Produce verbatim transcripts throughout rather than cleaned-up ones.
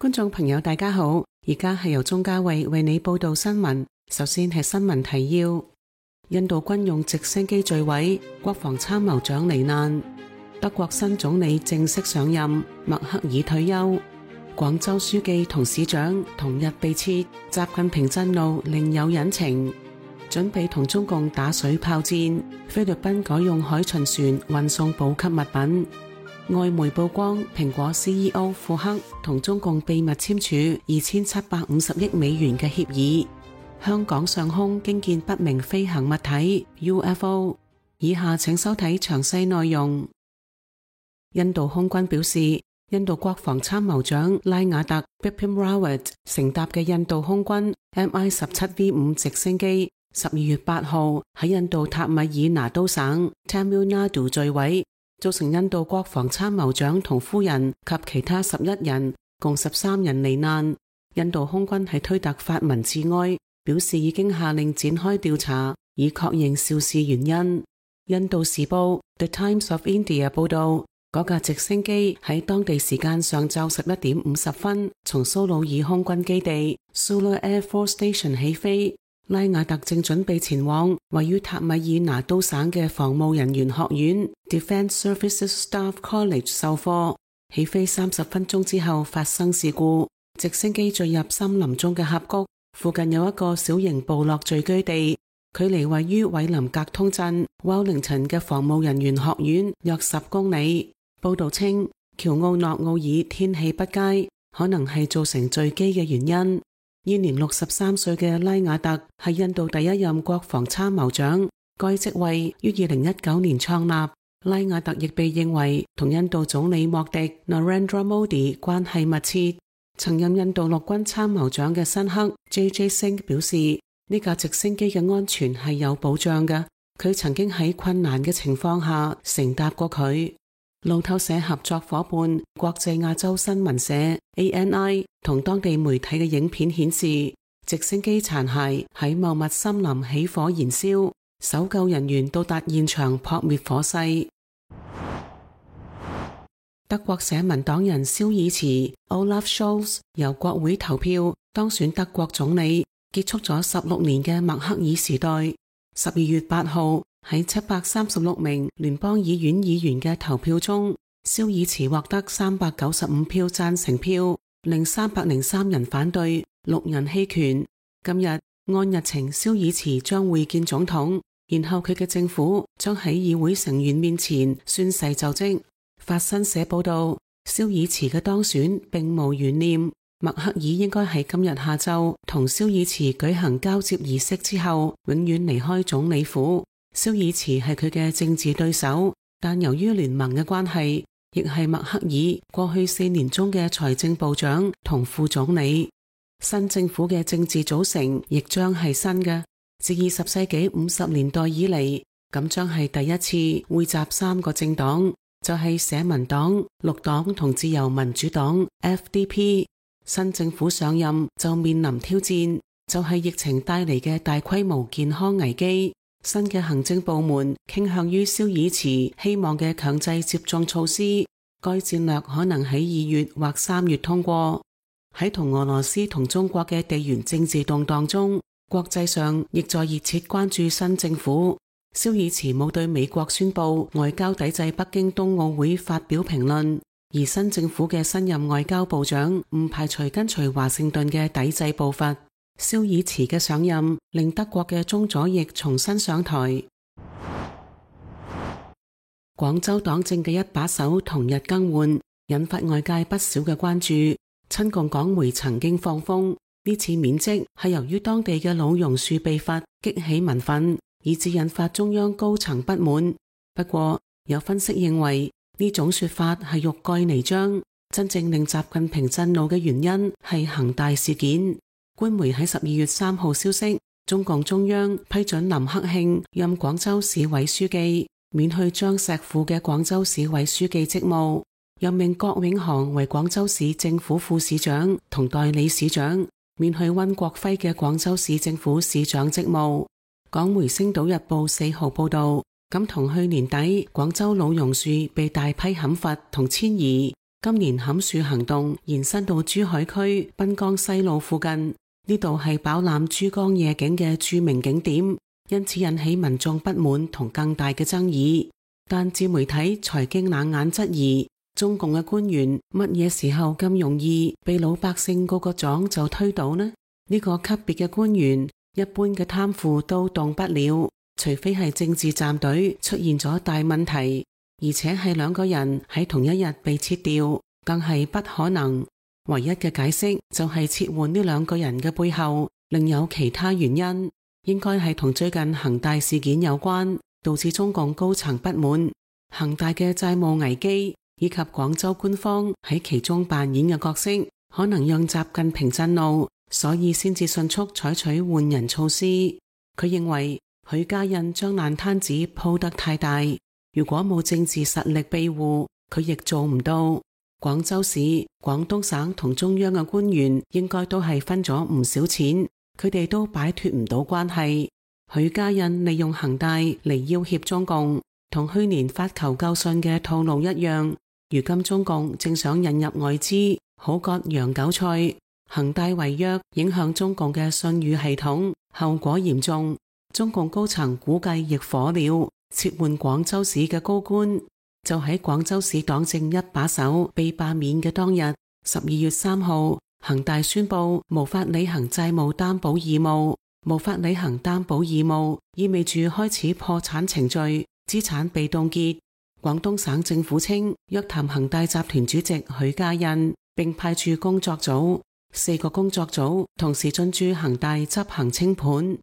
觀眾朋友大家好，而家係由鍾嘉慧為你報道新聞。首先係新聞提要：印度軍用直升機墜毀，國防參謀長罹難；德國新總理正式上任，默克爾退休；廣州書記同市長同日被撤，習近平震怒另有隱情；準備同中共打水炮戰，菲律賓改用海巡船運送補給物品。外媒曝光，蘋果 C E O 庫克同中共秘密簽署二千七百五十億美元嘅協議。香港上空驚見不明飛行物體 U F O。以下請收睇詳細內容。印度空軍表示，印度國防參謀長拉瓦特 Bipin Rawat 乘搭嘅印度空軍 M I 十七 V 五直升機，十二月八號喺印度塔米爾拿都省 Tamil Nadu 墜毀，造成印度國防參謀長同夫人及其他十一人，共十三人罹難。印度空軍喺推特發文致哀，表示已經下令展開調查，以確認肇事原因。印度時報 The Times of India 報道，嗰架直升機喺當地時間上晝十一點五十分從蘇魯爾空軍基地 Sulur Air Force Station 起飛。拉瓦特正準備前往位於塔米爾拿都省嘅防務人員學院 Defence Services Staff College 授課。起飛三十分鐘之後發生事故，直升機墜入森林中嘅峽谷，附近有一個小型部落聚居地，距離位於韋林格通鎮 Wellington 嘅防務人員學院約十公里。報道稱，喬奧諾奧爾天氣不佳，可能係造成墜機嘅原因。現年六十三歲嘅拉瓦特係印度第一任國防參謀長，該職位於二零一九年創立。拉瓦特亦被認為同印度總理莫迪 Narendra Modi 關係密切。曾任印度陸軍參謀長嘅辛克 J J Singh 表示，呢架直升機嘅安全係有保障嘅，佢曾經喺困難嘅情況下乘搭過佢。路透社合作夥伴國際亞洲新聞社 A N I 同當地媒體嘅影片顯示，直升機殘骸喺茂密森林起火燃燒，搜救人員到達現場撲滅火勢。德國社民黨人肖爾茨 Olaf Scholz 由國會投票當選德國總理，結束咗十六年嘅默克爾時代。十二月八號喺七百三十六名聯邦議院議員嘅投票中，肖爾茨獲得三百九十五票贊成票，令三百零三人反對，六人棄權。今日按日程，肖爾茨將會見總統，然後佢嘅政府將喺議會成員面前宣誓就職。法新社報道，肖爾茨嘅當選並無懸念，默克爾應該喺今日下晝同肖爾茨舉行交接儀式之後，永遠離開總理府。肖爾茨係佢嘅政治對手，但由於聯盟嘅關係，亦係默克爾過去四年中嘅財政部長同副總理。新政府嘅政治組成亦將係新嘅，自二十世紀五十年代以嚟，咁將係第一次匯集三個政黨，就係社民黨、綠黨同自由民主黨 F D P。新政府上任就面臨挑戰，就係疫情帶嚟嘅大規模健康危機。新嘅行政部門傾向於肖爾茨希望嘅強制接種措施，該戰略可能喺二月或三月通過。喺同俄羅斯同中國嘅地緣政治動盪中，國際上亦在熱切關注新政府。肖爾茨冇對美國宣布外交抵制北京冬奧會發表評論，而新政府嘅新任外交部長唔排除跟隨華盛頓嘅抵制步伐。肖爾茨嘅上任令德國嘅中左翼重新上台。廣州黨政嘅一把手同日更換，引發外界不少嘅關注。親共港媒曾經放風，呢次免職係由於當地嘅老榕樹被罰，激起民憤，以致引發中央高層不滿。不過有分析認為，呢種說法係欲蓋彌彰，真正令習近平震怒嘅原因係恒大事件。官媒喺十二月三號消息，中共中央批准林克慶任廣州市委書記，免去張石富嘅廣州市委書記職務，任命郭永航為廣州市政府副市長同代理市長，免去溫國輝嘅廣州市政府市長職務。港媒《星島日報》四號報道，咁同去年底廣州老榕樹被大批砍伐同遷移，今年砍樹行動延伸到珠海區濱江西路附近，呢度係飽覽珠江夜景嘅著名景點，因此引起民眾不滿同更大嘅爭議。但自媒體財經冷眼質疑，中共嘅官員乜嘢時候咁容易被老百姓個個掌就推倒呢？呢個級別嘅官員，一般嘅貪腐都動不了，除非係政治站隊出現咗大問題，而且係兩個人喺同一日被撤掉，更係不可能。唯一嘅解釋就係撤換呢兩個人嘅背後另有其他原因，應該係同最近恒大事件有關，導致中共高層不滿。恒大嘅債務危機以及廣州官方喺其中扮演嘅角色，可能讓習近平震怒，所以先至迅速採取換人措施。佢認為許家印將爛攤子鋪得太大，如果冇政治實力庇護，佢亦做唔到。廣州市、廣東省同中央嘅官員應該都係分咗唔少錢，佢哋都擺脫唔到關係。許家印利用恒大嚟要挾中共，同去年發求救信嘅套路一樣。如今中共正想引入外資，好割洋韭菜。恒大違約影響中共嘅信譽系統，後果嚴重。中共高層估計亦火了，撤換廣州市嘅高官。就喺廣州市黨政一把手被罷免嘅當日，十二月三號，恒大宣布無法履行債務擔保義務。無法履行擔保義務意味住開始破產程序，資產被凍結。廣東省政府稱約談恒大集團主席許家印，並派駐工作組，四個工作組同時進駐恒大執行清盤。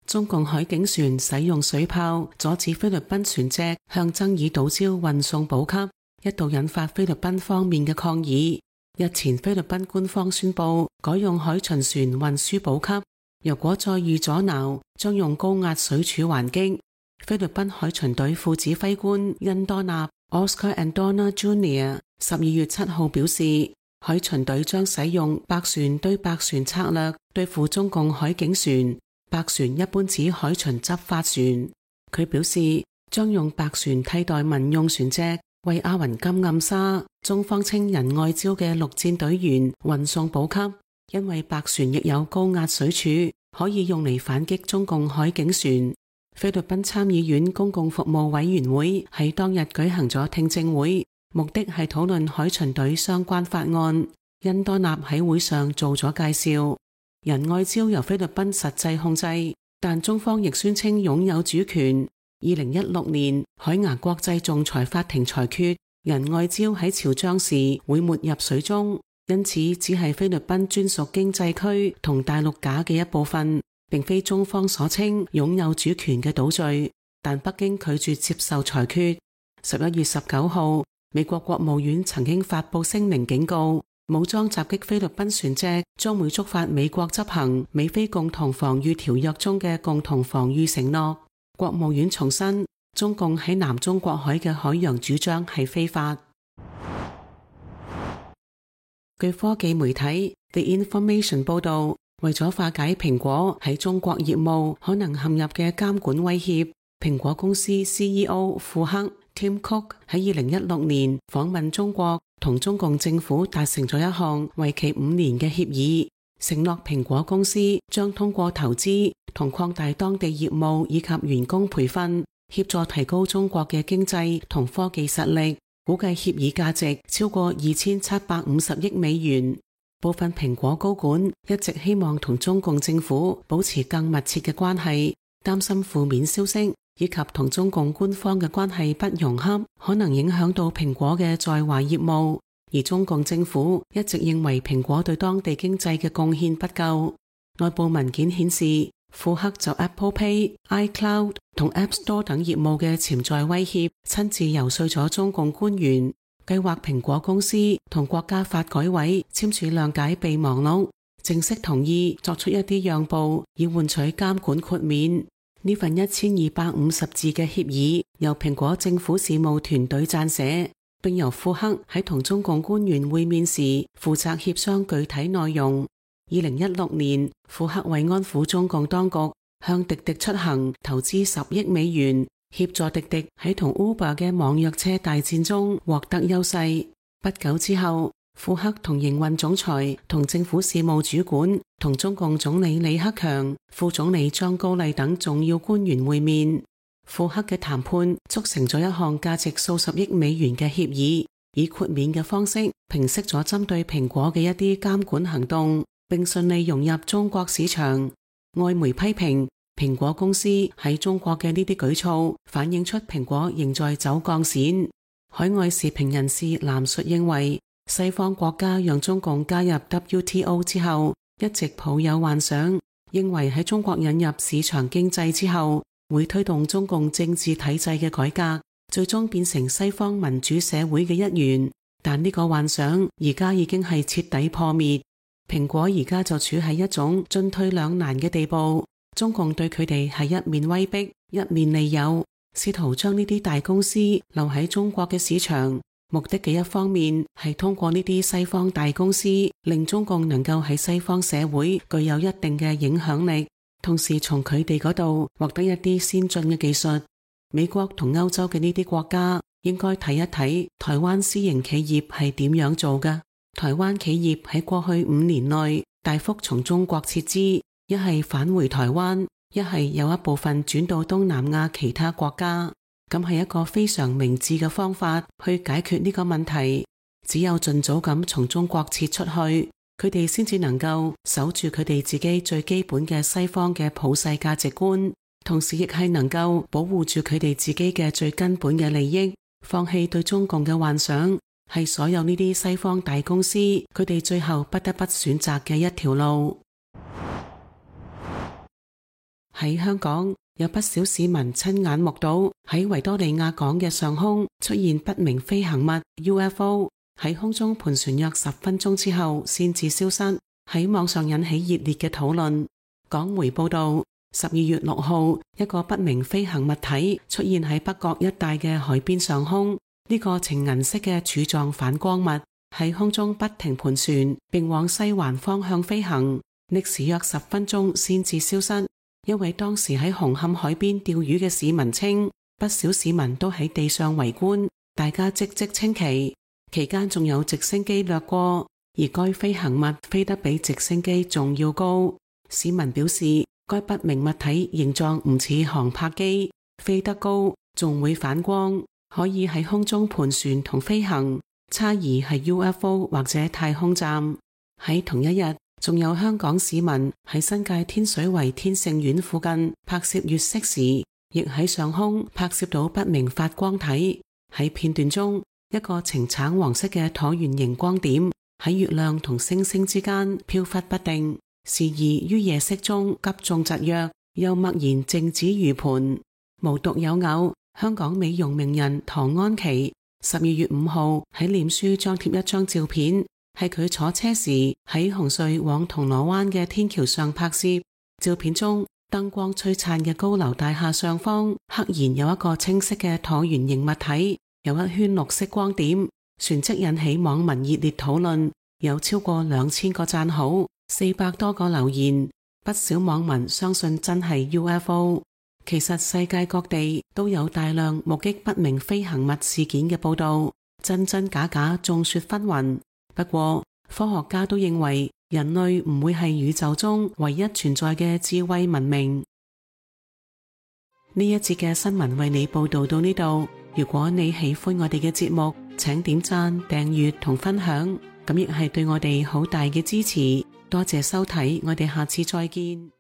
中共海警船使用水炮阻止菲律賓船隻向爭議島礁運送補給，一度引發菲律賓方面嘅抗議。日前菲律賓官方宣布改用海巡船運輸補給，如果再遇阻撓，將用高壓水柱還擊。菲律賓海巡隊副指揮官恩多納 Oscar Andona Junior 十二月七號表示，海巡隊將使用百船對百船策略對付中共海警船。百船一般指海巡執法船。佢表示將用百船替代民用船隻，為阿雲金暗沙中方稱仁愛礁嘅陸戰隊員運送補給，因為百船亦有高壓水柱，可以用嚟反擊中共海警船。菲律賓參議院公共服務委員會喺當日舉行咗聽證會，目的係討論海巡隊相關法案。恩多納喺會上做咗介紹。仁愛礁由菲律賓實際控制，但中方亦宣稱擁有主權。二零一六年，海牙國際仲裁法庭裁決，仁愛礁喺潮漲時會沒入水中，因此只係菲律賓專屬經濟區同大陸架嘅一部分，並非中方所稱擁有主權嘅島嶼。但北京拒絕接受裁決。十一月十九號，美國國務院曾經發布聲明警告，武裝襲擊菲律賓船隻將會觸發美國執行美菲共同防禦條約中嘅共同防禦承諾。國務院重申，中共喺南中國海嘅海洋主張係非法。據科技媒體 The Information 報道，為咗化解蘋果喺中國業務可能陷入嘅監管威脅，蘋果公司 C E O 庫克 Tim Cook 喺二零一六年訪問中國，同中共政府達成咗一項為期五年嘅協議，承諾蘋果公司將通過投資同擴大當地業務以及員工培訓，協助提高中國嘅經濟同科技實力。估計協議價值超過二千七百五十億美元。部分蘋果高管一直希望同中共政府保持更密切嘅關係，擔心負面消息以及同中共官方嘅關係不融洽，可能影響到蘋果嘅在華業務。而中共政府一直認為蘋果對當地經濟嘅貢獻不夠。內部文件顯示，庫克就 Apple Pay、iCloud 同 App Store 等業務嘅潛在威脅，親自游說咗中共官員，計劃蘋果公司同國家發改委簽署諒解備忘錄，正式同意作出一啲讓步，以換取監管豁免。呢份一千二百五十字嘅協議由蘋果政府事務團隊撰寫，並由庫克喺同中共官員會面時負責協商具體內容。二零一六年，庫克為安撫中共當局，向滴滴出行投資十億美元，協助滴滴喺同 Uber 嘅網約車大戰中獲得優勢。不久之後，庫克同營運總裁同政府事務主管同中共總理李克強、副總理張高麗等重要官員會面。庫克嘅談判促成咗一項價值數十億美元嘅協議，以豁免嘅方式平息咗針對蘋果嘅一啲監管行動，並順利融入中國市場。外媒批評蘋果公司喺中國嘅呢啲舉措，反映出蘋果仍在走鋼線。海外時評人士藍述認為，西方國家讓中共加入 W T O 之後，一直抱有幻想，認為喺中國引入市場經濟之後，會推動中共政治體制嘅改革，最終變成西方民主社會嘅一員。但呢個幻想而家已經係徹底破滅。蘋果而家就處喺一種進退兩難嘅地步，中共對佢哋係一面威逼，一面利誘，試圖將呢啲大公司留喺中國嘅市場。目的嘅一方面係通過呢啲西方大公司，令中共能夠喺西方社會具有一定嘅影響力，同時從佢哋嗰度獲得一啲先進嘅技術。美國同歐洲嘅呢啲國家應該睇一睇台灣私營企業係點樣做㗎。台灣企業喺過去五年內大幅從中國撤資，一係返回台灣，一係有一部分轉到東南亞其他國家。咁係一個非常明智嘅方法去解決呢個問題。只有盡早咁從中國撤出去，佢哋先至能夠守住佢哋自己最基本嘅西方嘅普世價值觀，同時亦係能夠保護住佢哋自己嘅最根本嘅利益。放棄對中共嘅幻想，係所有呢啲西方大公司佢哋最後不得不選擇嘅一條路。喺香港，有不少市民親眼目睹喺維多利亞港嘅上空出現不明飛行物 U F O， 喺空中盤旋約十分鐘之後先至消失，喺網上引起熱烈嘅討論。港媒報道，十二月六號，一個不明飛行物體出現喺北角一帶嘅海邊上空，呢、這個呈銀色嘅柱狀反光物喺空中不停盤旋，並往西環方向飛行，歷時約十分鐘先至消失。一位當時喺紅磡海邊釣魚嘅市民稱，不少市民都喺地上圍觀，大家嘖嘖稱奇。期間仲有直升機掠過，而該飛行物飛得比直升機仲要高。市民表示，該不明物體形狀唔似航拍機，飛得高，仲會反光，可以喺空中盤旋同飛行，差異係 U F O 或者太空站。喺同一日，仲有香港市民喺新界天水圍天盛苑附近拍攝月色時，亦喺上空拍攝到不明發光體。喺片段中，一個呈橙黃色嘅橢圓形光點喺月亮同星星之間飄忽不定，時而於夜色中急中疾躍，又默然靜止如盤。無獨有偶，香港美容名人唐安琪十二月五號喺臉書張貼一張照片，係佢坐車時喺紅隧往銅鑼灣嘅天橋上拍攝。照片中，燈光璀璨嘅高樓大廈上方，赫然有一個清晰嘅橢圓形物體，有一圈綠色光點，旋即引起網民熱烈討論，有超過兩千個讚好，四百多個留言。不少網民相信真係 U F O。其實世界各地都有大量目擊不明飛行物事件嘅報道，真真假假眾說紛紜。不過，科學家都認為人類唔會係宇宙中唯一存在嘅智慧文明。呢一節嘅新聞為你報道到呢度。如果你喜歡我哋嘅節目，請點讚、訂閱同分享，咁亦係對我哋好大嘅支持。多謝收睇，我哋下次再見。